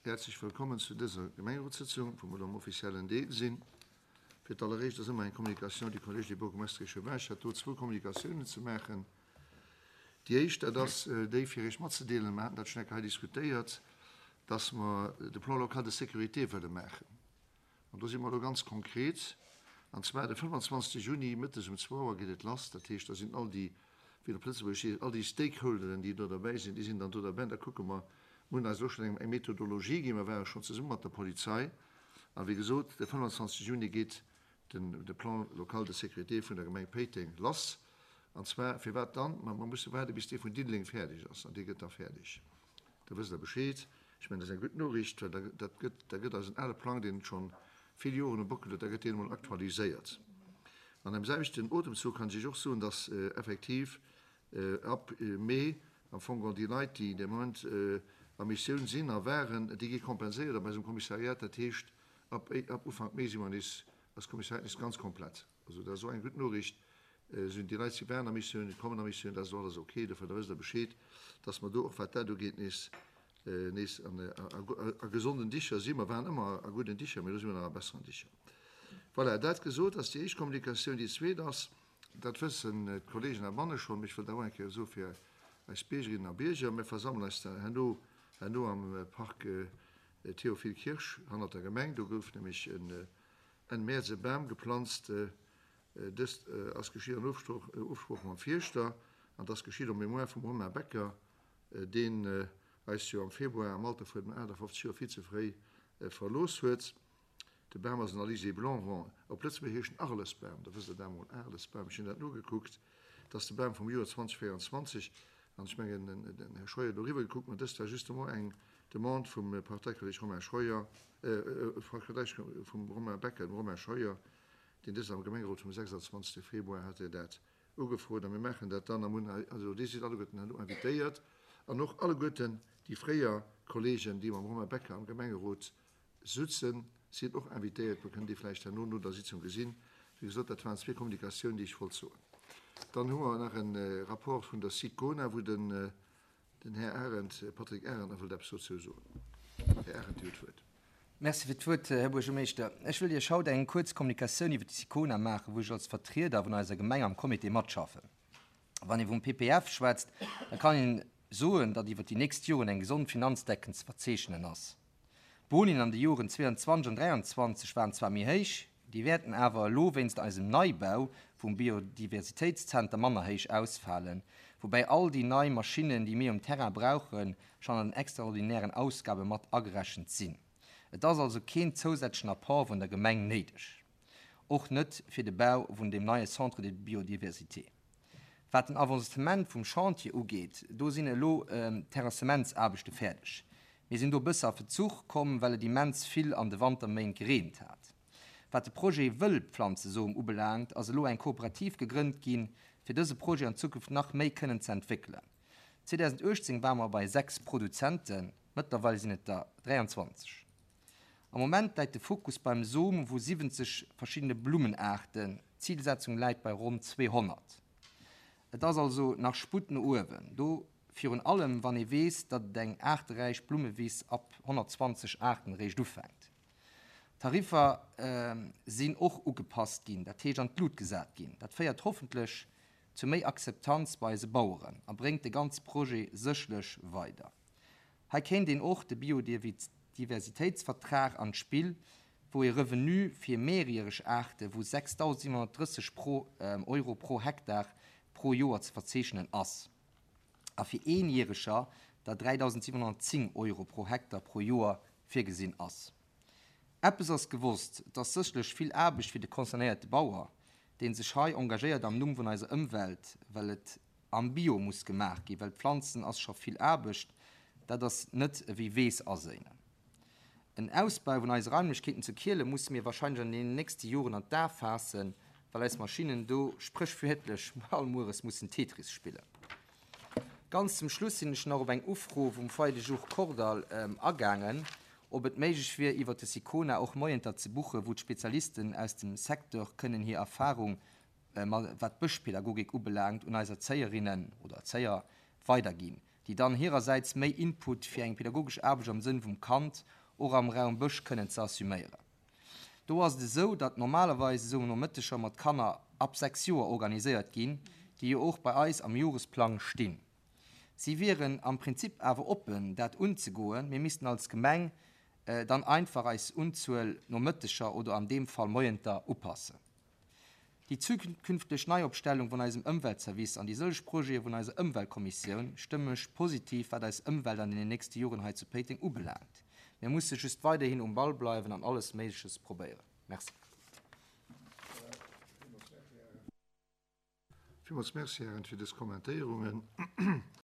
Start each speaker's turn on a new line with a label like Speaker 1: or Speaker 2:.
Speaker 1: Häerzlech wëllkommen zu dëser Gemengerotssëtzung, wou mer elo am offiziellen Deel sinn. Fir d'alleréischt ass ëmmer eng Communication du Collège des Bourgmestres et Échevins. Ech hat do zwou Communicatiounen ze maachen. Déi éischt, dat ass déi, fir Iech matzedeelen, mer haten dat schonn eng Kéier hei diskutéiert, dass mer de Plan local de sécurité wëlle maachen. An do si mer elo ganz konkret, an zwar de 25. Juni mëttes um zwou Auer geet et lass. Dat heescht, da sinn all déi, wéi et op Lëtzebuergesch heescht, all déi Stakeholderen, déi do derbäi sinn, déi sinn dann do derbäi. An da kucke mer, mir hunn eis elo schonn eng eng Methodologie ginn, mer ware schonn zesumme mat der Polizei. A wéi gesot, de 25. Juni geet den de Plan local de sécurité vun der Gemeng Péiteng lass. An zwar, firwat dann? Ma mer musse waarde bis dee vun Diddeleng fäerdeg ass, an dee gëtt da fäerdeg. Da wësst Der Bescheed. Ech mengen, dat ass eng gutt Noriicht, well da, dat gëtt, da gëtt eisen ale Plang, deen scho vill Joren um Bockel huet, da gëtt deen emol aktualiséiert. An am selwechten Otemzuch kann ech Iech och soen, dass effektiv ab Mee am Fong geholl déi Leit, déi de Moment a Missioun sinn a waren, déi gi kompenséiert op eisem Kommissariat. Dat heescht, ab, ab Ufank Mee si mer nees, ass d'Kommissariat nees ganz komplett. Also dat ass och eng gutt Noriicht. Sinn déi Leit, si waren a Missioun, kommen a Missioun, dat ass och alles ok. Dofir, da wësst Der Bescheed, dass mer do och, wat dat ugeet, nees, nees an, a gesonden Dicher sinn. Mer waren ëmmer a gudden Dicher, mee elo si mer nach a besseren Dicher. Voilà, dat gesot, ass déi éischt Kommunikatioun. Déi zweet ass, dat wëssen d'Kollegen heibanne schonn, mee ech wëll dat och eng Kéier soe fir eis Biergerinnen a Bierger, Mir versammelen eis herno, herno am Parc Théophile Kirsch hannert der Gemeng. Do gouf nämlech en Enn Mäerz e Bam geplanzt. Dëst ass geschitt an Ofsprooch mam Fierschter an et ass geschitt en mémoire vum Romain Becker, deen eis jo am Februar am Alter vun 58 Joer vill ze fréi verlooss huet. De Bam ass en Alizé blanc, bon, op Lëtzebuergesch heescht en Arlesbam, da wësst Der dat emol, Arlesbam, ech hunn dat nogekuckt, et ass de Bam vum Joer 2024 an ech mengen, den Här Scheuer huet elo eriwwer gekuckt, ma dëst war justement eng Demande vum Parteikolleg Romain Scheuer, vum Romain Becker, dem Romain Scheuer, deen dëst am Gemengerot vum 26. Februar hat hien dat ugefrot a mir maachen dat dann a mir hunn, also Dir sidd alleguerten herno invitéiert an och alleguerten déi fréier Kollegen, déi mam Romain Becker am Gemengerot sutzen, sinn och invitéiert. Mir kënnen déi vläicht herno no der Sitzung gesinn. Wéi gesot, dat waren zwee Kommunikatiounen, déi ech wollt soen. Dann hu mer nach e Rapport vun der SICONA, wou den Den Här Arendt, Patrick Arendt, nach wëllt eppes dozou soen. Här Arendt, Dir hutt d'Wuert.
Speaker 2: Merci fir d'Wuert, Här Buergermeeschter. Ech wëll Iech haut eng kuerz Kommunikatioun iwwer déi SICONA maachen, wou ech als Vertrieder vun eiser Gemeng am Comité matschaffen. Wann ee vum PPF schwätzt, da kann een soen, datt iwwer déi nächst Joren eng gesond Finanzdecken ze verzeechnen ass. D'Bonien an de Joren 22 an 23 waren zwar méi héich, déi wäerten awer elo wéinst eisem Neibau vum Biodiversitéitszenter manner héich ausfalen, woubäi all déi nei Maschinnen, déi mir um Terrain brauchen, schonn an den extraordinären Ausgabe mat agerechent sinn. Et ass also keen zousätzlechen Apport vun der Gemeng néideg, och net fir de Bau vun deem neie Centre de biodiversité. Wat den Avancement vum Chantier ugeet, do sinn elo d'Terrassementsaarbechte fäerdeg. Mir sinn do e bësse a Vezuch komm, well et immens vill an de Wanterméint gereent hat. Wat de Projet Wëllpflanzesom ubelaangt, ass elo eng Kooperativ gegrënnt ginn, fir dëse Projet an Zukunft nach méi kënnen ze entwéckelen. 2018 ware mer bei 6 Produzenten, mëttlerweil sinn et der 23. Am Moment läit de Fokus beim Som vu 70 verschiddene Blummenaarten, d'Zilsetzung läit bei ronn 200. Et ass also nach Sputt no uewen, do virun allem wann ee weess, datt et eng aarteräich Blummewiss ab 120 Aarten eréischt ufänkt. D'Tariffer sinn och ugepasst ginn, dat heescht an d'Lut gesat ginn. Dat féiert hoffentlech zu méi Akzeptanz bei eise Baueren a bréngt de ganze Projet sécherlech weider. Hei kéint een och de Biodiversitéitsvertrag an d'Spill, wou ee Revenu fir mehrjähreg Aarte vu 6.730 pro Euro pro Hektar pro Joer ze verzeechnen ass, a fir eenjäreger der 3.710 Euro pro Hektar pro Joer virgesinn ass. Eppes ass gewosst, et ass sécherlech vill Aarbecht fir de concernéierte Bauer, dee sech hei engagéiert am Numm vun eiser Ëmwelt, well et Am Bio muss gemaach ginn, well pflanzen ass scho vill Aarbecht, dat ass net ewéi Weess aséinen. En Ausbau vun eise Raimlechkeeten zu Kiele musse mir wahrscheinlech an deenen nächste Joren an d'A faassen, well eis Maschinnen do spréchwiertlech all mueres mussen Tetris spillen. Ganz zum Schluss sinn ech nach op eng Ufro vum Foyer de Jour Kordall agaangen, ob et méiglech wier iwwert de Sicona och Moienter ze buchen, wou d'Spezialisten aus dem Secteur kënnen hir Erfahrung wat d'Bëschpädagogik ubelaangt, un eis Erzéierinnen oder Erzéier weiderginn, déi dann hirersäits méi Input fir eng pädagogesch Aarbecht am Sënn vum Kand. och am Raum Bësch kënnen ze assuméieren. Do ass et esou, datt normalerweis esou Nomëtteger mat Kanner ab 6 Joer organiséiert ginn, déi jo och bei eis am Joresplang stinn. Si wieren am Prinzip awer oppen, dat unzegoen. Mir missten als Gemeng dann einfach eis Unzuel Nomëtteger oder an deem Fall Moienter upassen. Déi zukünfteg Neiopstellung vun eisem Ëmweltservice an déi sëlleg Projete vun eiser Ëmweltkommissioun stëmme mech positiv wat eis Ëmwelt an deenen nächste Joren hei zu Péiteng ubelaangt. Mir musse just weiderhin um Ball bleiwen an alles Méigleches probéieren. Merci.
Speaker 1: Villmools Merci, Hären, fir dës Kommentéierungen.